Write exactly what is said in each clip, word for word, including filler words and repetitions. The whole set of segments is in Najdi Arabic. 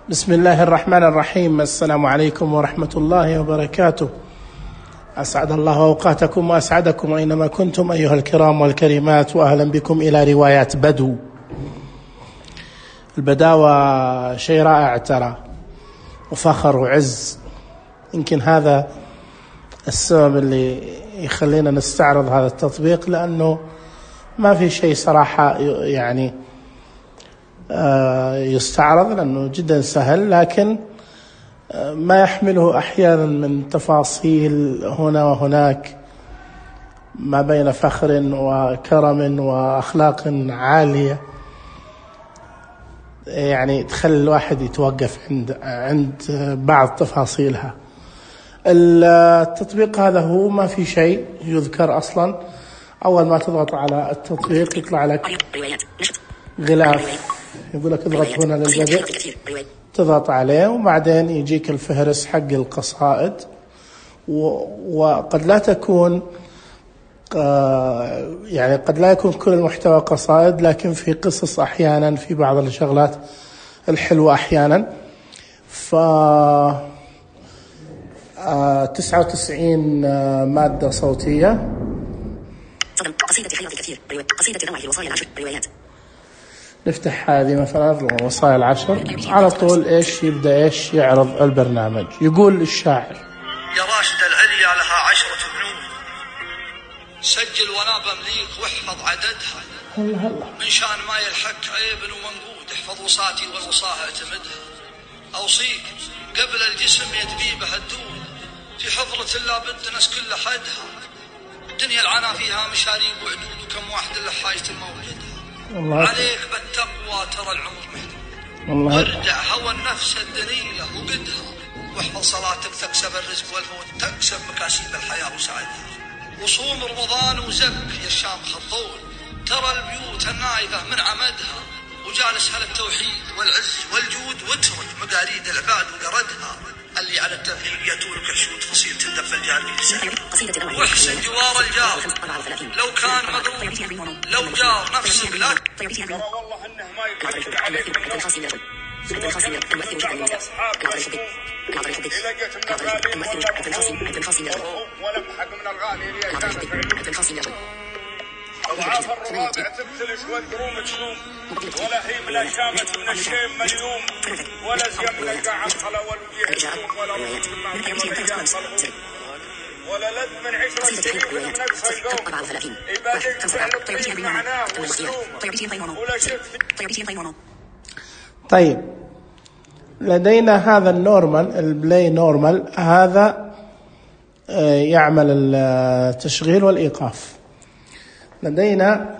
بسم الله الرحمن الرحيم. السلام عليكم ورحمة الله وبركاته. أسعد الله أوقاتكم وأسعدكم أينما كنتم أيها الكرام والكريمات، وأهلا بكم إلى روايات بدو. البداوة شيء رائع ترى، وفخر وعز. يمكن هذا السبب اللي يخلينا نستعرض هذا التطبيق، لأنه ما في شيء صراحة يعني يستعرض، لأنه جدا سهل، لكن ما يحمله أحيانا من تفاصيل هنا وهناك ما بين فخر وكرم وأخلاق عالية، يعني تخلي الواحد يتوقف عند عند بعض تفاصيلها. التطبيق هذا هو ما في شيء يذكر أصلا. أول ما تضغط على التطبيق يطلع لك غلاف، يقول لك اضغط هنا للبدء، تضغط عليه وبعدين يجيك الفهرس حق القصائد. وقد لا تكون يعني قد لا يكون كل المحتوى قصائد، لكن في قصص أحيانا، في بعض الشغلات الحلوة أحيانا. ف تسعة وتسعين مادة صوتية. قصيدة خياط كثير، قصيدة روعة الوصايا العشر، روايات. نفتح هذه مثلا الوصايا العشر، على طول ايش يبدأ ايش يعرض البرنامج. يقول الشاعر: يا راشد العليا لها عشرة بنود، سجل وانا بمليك واحفظ عددها. الله الله. من شان ما يلحق عيب ومنقود، احفظ وصاتي والوصاها اعتمدها. اوصيك قبل الجسم يدبيبها الدود، في حضرة الله بد ناس كل حدها. الدنيا العنا فيها مشاريب وعدود، وكم واحد اللي حاجة المولدها. الله. عليك بالتقوى ترى العمر محدود، وارجع هوى النفس الدنيئة وقدها، واحفظ صلاتك تكسب الرزق والفوت، تكسب مكاسب الحياة وسعدها. وصوم رمضان وزك يا الشام خطول، ترى البيوت النايفة من عمدها، وجالس على التوحيد والعز والجود، واترك مقاريد العباد وقردها. اللي على التوحيد ياتونك الشهود فصيل تندف الجانب لسان، واحسن جوار الجار لو كان مظلوم، لو جار نفسك لا ترى والله انه ما يكفي عليك من نفسك. إذا جت من الغالي ولمحق من الغالي ليجانك أضعاف الروابع تبتلش والدروم تشوم، ولا هي من الشامة من الشيم مليوم، ولا زيم من القاع الخلا والوجيه تشوم، ولا رمز من معقول الرجال ملهوم، ولا لذ من عشرة سنين من نقص القوم. إبادك فعل الطيب معناه والسلوم، ولا شفت. طيب، لدينا هذا النورمال، البلاي نورمال، هذا يعمل التشغيل والإيقاف. لدينا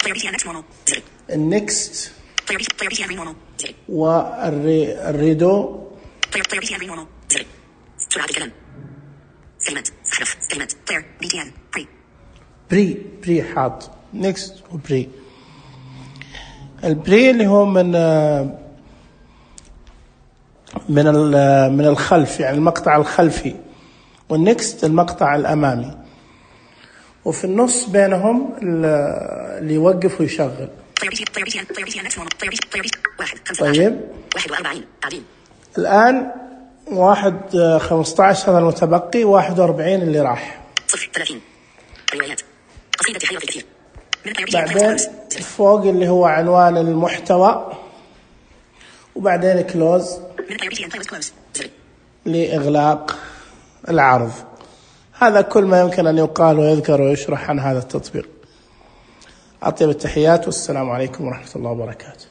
النكست والريدو. بري بري حاط نكست وبري. البري اللي هو من من من الخلف، يعني المقطع الخلفي، والنكست المقطع الأمامي، وفي النص بينهم اللي يوقف ويشغل. طيب، الآن واحد خمسة عشر هذا المتبقي، واحد وأربعين اللي راح. بعدين فوق اللي هو عنوان المحتوى، وبعدين كلوز لإغلاق العرض. هذا كل ما يمكن أن يقال ويذكر ويشرح عن هذا التطبيق. أطيب التحيات، والسلام عليكم ورحمة الله وبركاته.